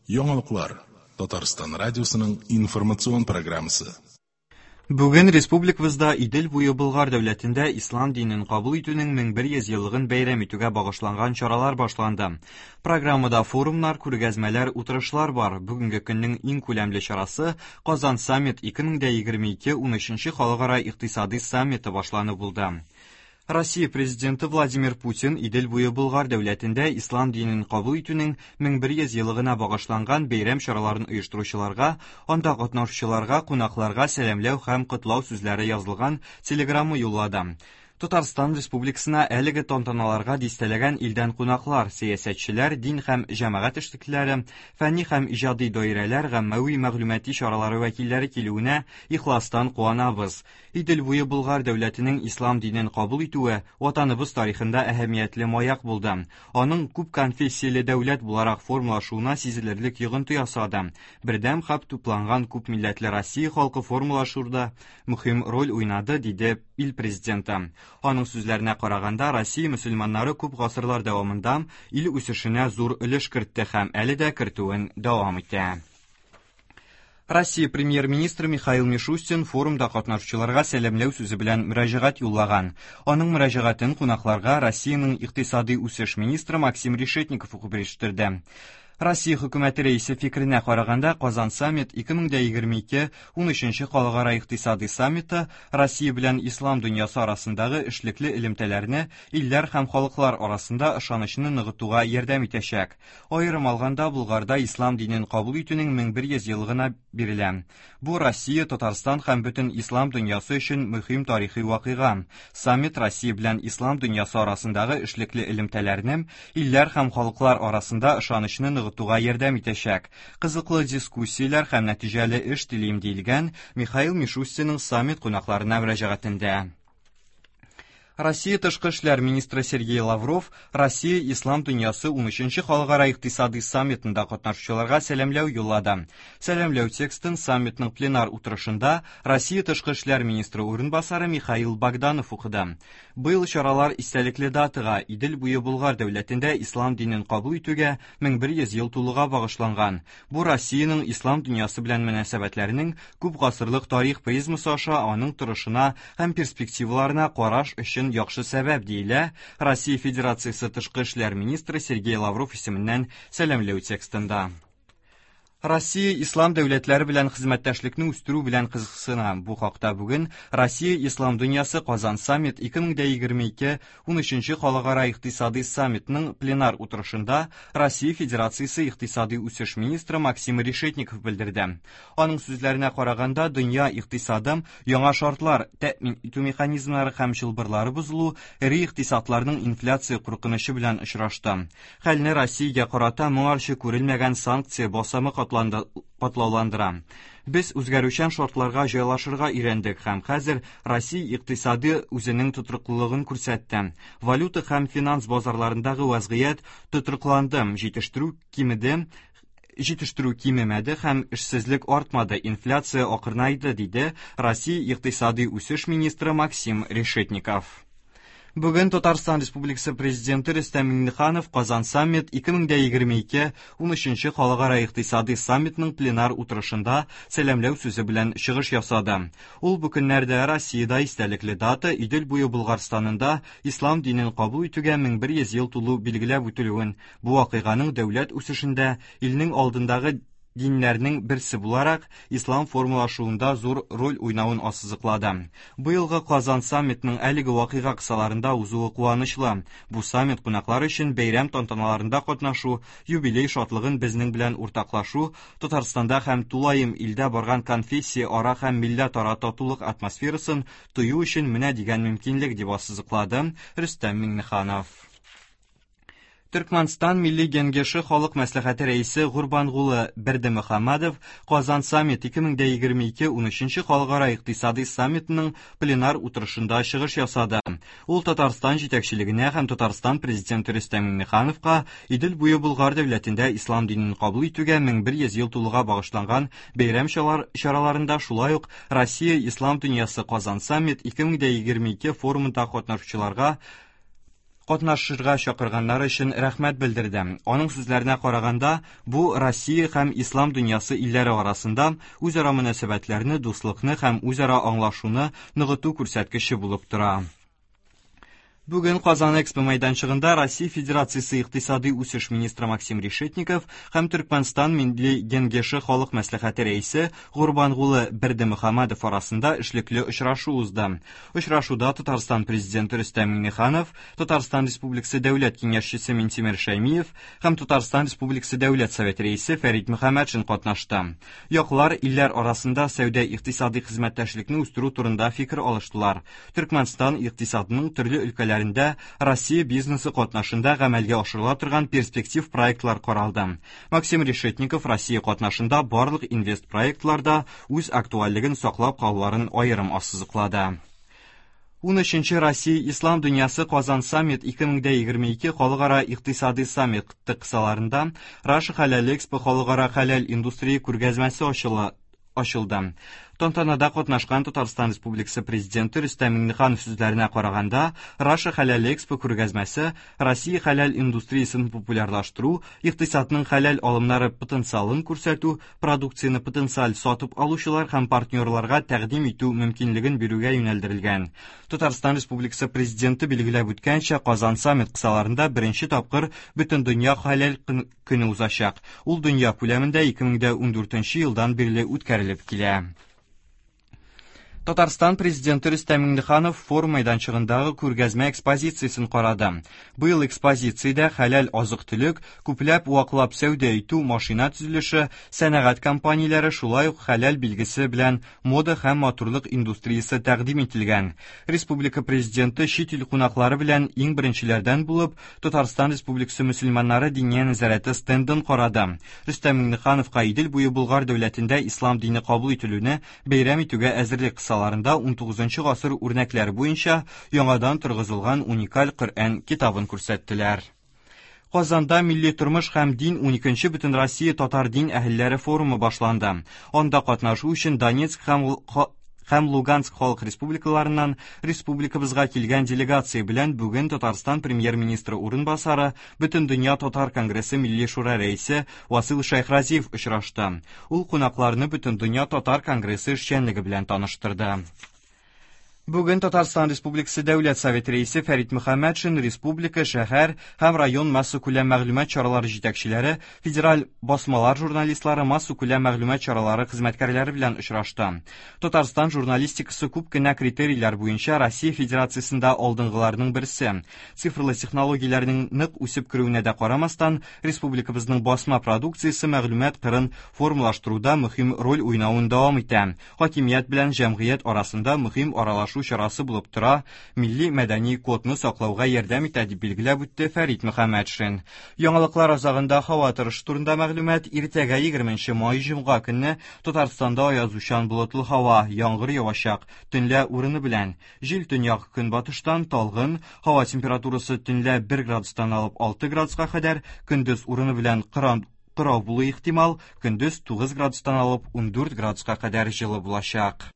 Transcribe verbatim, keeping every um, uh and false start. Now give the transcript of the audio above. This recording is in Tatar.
Яңалыклар. Татарстан радиосының информацион программасы. Бүген республикабызда Идел буе Болгар дәүләтендә ислам динен кабул итүнең мең бер йөз еллыгын бәйрәм итүгә багышланган чаралар башланды. Программада форумнар, күргәзмәләр, утырышлар бар. Бүгенге көннең иң күләмле чарасы Казан саммит ике мең дә егерме ике унөченче халыкара икътисади саммиты башлану булды. Россия президенты Владимир Путин Идел буе Болгар дәүләтендә ислам динен кабул итүнең мең бер йөз еллыгына багышланган бәйрәм чараларын оештыручыларга, анда катнашучыларга, кунакларга сәламләү һәм котлау сүзләре язылган телеграмма юллады. Татарстан Республикасына әлеге тантаналарга дистәләгән илдән кунаклар, сәясәтчеләр, дин һәм җәмәгать эшлеклеләре, фәнни һәм иҗади даирәләр, гаммәви мәгълүмати чаралары вәкилләре килүенә ихластан куанабыз. Идел буе Болгар дәүләтенең ислам динен кабул итүе ватаныбыз тарихында әһәмиятле маяк булды. Аның күп конфессияле дәүләт буларак формалашуына сизелерлек йогынты ясады. Бердәм һәм тупланган күп милләтле Россия халкы формалашуда мөһим роль уйнады, диде ил президенты. Аның сүзләренә караганда, Россия мөселманнары күп гасырлар дәвамында ил үсешенә зур өлеш кертте һәм әле дә кертүен дәвам итә. Россия премьер-министры Михаил Мишустин форумда катнашучыларга сәламләү сүзе белән мөрәҗәгать юллаган. Аның мөрәҗәгатен кунакларга Россиянең икътисади үсеш министры Максим Решетников укып ирештерде. Россия хөкүмәте рәисе фикеренә караганда, Казан саммит ике мең дә егерме ике унөченче халыкара икътисади саммиты Россия белән ислам дөньясы арасындагы эшлекле элемтәләрне илләр һәм халыклар арасында ышанычны ныгытуга ярдәм итәчәк. Аерым алганда, Болгарда ислам динен кабул итүнең мең бер йөз еллыгына бирелә. Бу Россия, Татарстан һәм бөтен ислам дөньясы өчен мөһим тарихи вакыйга. Саммит Россия белән ислам дөньясы арасындагы эшлекле элемтәләрне илләр һәм халыклар арасында ышанычны ныгытуга ярдәм итәчәк. Кызыклы дискуссияләр һәм нәтиҗәле эш телим, диелгән Михаил Мишустинның саммит кунакларына мөрәҗәгатендә. Россия тышкы эшләр министры Сергей Лавров Россия ислам дөньясы унөченче халыкара икътисади саммитында катнашучыларга сәламләү юллады. Сәламләү текстын саммитның пленар утырышында Россия тышкы эшләр министры урынбасары Михаил Богданов укыды. Быел чаралар истәлекле датага Идел буе Болгар дәүләтендә ислам динен кабул итүгә мең бер йөз ел тулуга багышланган. Бу Россиянең ислам дөньясы белән мөнәсәбәтләренең күп гасырлык тарих призмасы аша аның торышына һәм перспективаларына караш өчен яхшы сәбәп, диелә Россия Федерациясе тышкы эшләр министры Сергей Лавров исеменнән сәламләү текстында. Россия ислам дәүләтләре белән хезмәттәшлекне үстерү белән кызыксына. Бу хакта бүген Россия ислам дөньясы Казан саммит ике мең дә егерме ике унөченче халыкара икътисади саммитның пленар утырышында Россия Федерациясе икътисади үсеш министры Максим Решетников белдерде. Аның сүзләренә караганда, дөнья икътисады яңа шартлар, тәэмин итү механизмнары һәм чылбырлары бозылу эре икътисадларның инфляция куркынычы белән очрашты. Хәлне Россиягә карата моңарчы күрелмәгән санкция басымы катлауландыра. Без үзгәрүчән шартларга җайлашырга өйрәндек һәм хәзер Россия икътисады үзенең тотрыклылыгын күрсәтте. Валюта һәм финанс базарларындагы вазгыять тотрыкланды, җитештерү кимеде, җитештерү кимемәде һәм эшсезлек артмады, инфляция акрынайды, диде Россия икътисади үсеш министры Максим Решетников. Бүген Татарстан Республикасы Президенты Рөстәм Миңнеханов Казан саммит ике мең дә егерме ике унөченче халыкара икътисади саммитның пленар утырышында сәламләү сүзе белән чыгыш ясады. Ул бу көннәрдә Россиядә истәлекле дата Идел буе Болгарстанында ислам динен кабул итүгә мең бер йөз ел тулу билгеләп үтелүен, бу вакыйганың дәүләт үсешендә илнең алдындагы диннәрнең берсе буларак ислам формалашуында зур роль уйнавын ассызыклады. Быелгы Казан саммитның әлеге вакыйга кысаларында узуы куанычлы. Бу саммит кунаклар өчен бәйрәм тантаналарында катнашу, юбилей шатлыгын безнең белән уртаклашу, Татарстанда һәм тулаем илдә барган конфессия ара һәм милләтара татулык атмосферасын тою өчен менә дигән мөмкинлек, дип ассызыклады Рөстәм Миңнеханов. Төркмәнстан Милли Кеңеше Халык Мәслихәте рәисе Гурбангулы Бердымөхәммәдов Казан саммит ике мең дә егерме ике унөченче халыкара икътисади саммитының пленар утырышында чыгыш ясады. Ул Татарстан җитәкчелегенә һәм Татарстан президенты Рөстәм Миңнехановка Идел буе Болгар дәүләтендә ислам динен кабул итүгә мең бер йөз ел тулуга багышланган бәйрәм чараларында, шулай ук Россия ислам дөньясы Казан саммит ике мең дә егерме ике форумында катнашучыларга катнашырга чакырганнары өчен рәхмәт белдерде. Аның сүзләренә караганда, бу Россия һәм ислам дөньясы илләре арасында үзара мөнәсәбәтләрне, дуслыкны һәм үзара аңлашуны ныгыту күрсәткече булып тора. Бүген Казан Экспо мәйданчыгында Россия Федерациясе икътисади үсеш министры Максим Решетников һәм Төркмәнстан Милли Кеңеше Халык Мәслихәте рәисе Гурбангулы Бердымөхәммәдов арасында эшлекле очрашу узды. Очрашуда Татарстан президенты Рөстәм Миңнеханов, Татарстан Республикасы Дәүләт Киңәшчесе Минтимер Шәймиев һәм Татарстан Республикасы Дәүләт Советы рәисе Фәрит Мөхәммәтшин катнашты. Яклар илләр арасында сәүдә-икътисади хезмәттәшлекне үстерү турында фикер алыштылар. Төркмәнстан икътисадының төрле өлкәләрендә Россия бизнесы катнашында гамәлгә ашырыла торган перспектив проектлар каралды. Максим Решетников Россия катнашында барлык инвест проектларда үз актуальлеген саклап калуларын аерым ассызыклады. Унөченче Россия Ислам дөньясы Казан саммит ике мең егерме ике халыкара икътисади саммит кысаларында Раша Хәләл Экспо халыкара хәләл индустрия күргәзмәсе ачыла ачылды. Тантанада катнашкан Татарстан Республикасы президенты Рөстәм Миңнеханов сүзләренә караганда, Раша Хәләл Экспо күргәзмәсе Россия хәләл индустриясен популярлаштыру, икътисадның хәләл алымнары потенциалын күрсәтү, продукцияне потенциаль сатып алучылар һәм партнерларга тәкъдим итү мөмкинлеген бирүгә юнәлдерелгән. Татарстан Республикасы президенты билгеләп үткәнчә, Казан саммит кысаларында беренче тапкыр Бөтендөнья хәләл көне узачак. Ул дөнья күләмендә ике мең ундүртенче елдан бирле үткәрелеп килә. Татарстан президенты Рөстәм Миңнеханов форум мәйданчыгындагы күргәзмә экспозициясен карады. Быел экспозициядә хәләл азык-төлек, күпләп ваклап сәүдә итү, машина төзелеше, сәнәгать компанияләре, шулай ук хәләл билгесе белән мода һәм матурлык индустриясе тәкъдим ителгән. Республика президенты чит ил кунаклары белән иң беренчеләрдән булып Татарстан Республикасы мөселманнары диния нәзарәте стендын карады. Рөстәм Миңнехановка Идел буе Болгар дәүләтендә ислам дине кабул ителүне бәйрәм итүгә әзерлек кысаларында унтугызынчы гасыр үрнәкләре буенча яңадан торгызылган уникаль Коръән китабын күрсәттеләр. Казанда милли тормыш һәм дин уникенче Бөтенроссия татар дин әһелләре форумы башланды. Анда катнашу өчен Донецк һәм һәм Луганск халык республикаларыннан республикабызга килгән делегация белән бүген Татарстан премьер-министры урынбасары, Бөтендөнья татар конгрессы Милли шура рәисе Васил Шәйхразиев очрашты. Ул кунакларны Бөтендөнья татар конгрессы эшчәнлеге белән таныштырды. Бүген Татарстан Республикасы Дәүләт Советы рәисе Фәрит Мөхәммәтшин республика, шәһәр һәм район массакүләм мәгълүмат чаралары җитәкчеләре, федераль басмалар журналистлары, массакүләм мәгълүмат чаралары хезмәткәрләре белән очрашты. Татарстан журналистикасы күп кенә критерийлар буенча Россия Федерациясендә алдынгыларның берсе. Цифрлы технологияләрнең нык үсеп керүенә дә карамастан, республикабызның басма продукциясе мәгълүмат кырын формалаштыруда мөһим роль уйнавын дәвам итә. Хакимият белән җәмгыять арасында мөһим аралашу чарасы булып тора, милли мәдәни кодны саклауга ярдәм итә, дип билгеләп үтте Фәрит Мөхәммәтшин. Яңалыклар азагында һава торышы турында мәгълүмат. Иртәгә егерменче май җомга көнне Татарстанда аязучан болытлы һава, яңгыр явачак, төнлә урыны белән. Җил төньяк көнбатыштан талгын, һава температурасы төнлә бер градустан алып алты градуска кадәр, көндез урыны белән кырау булу ихтимал, көндез тугыз градустан алып ундүрт градуска кадәр җылы булачак.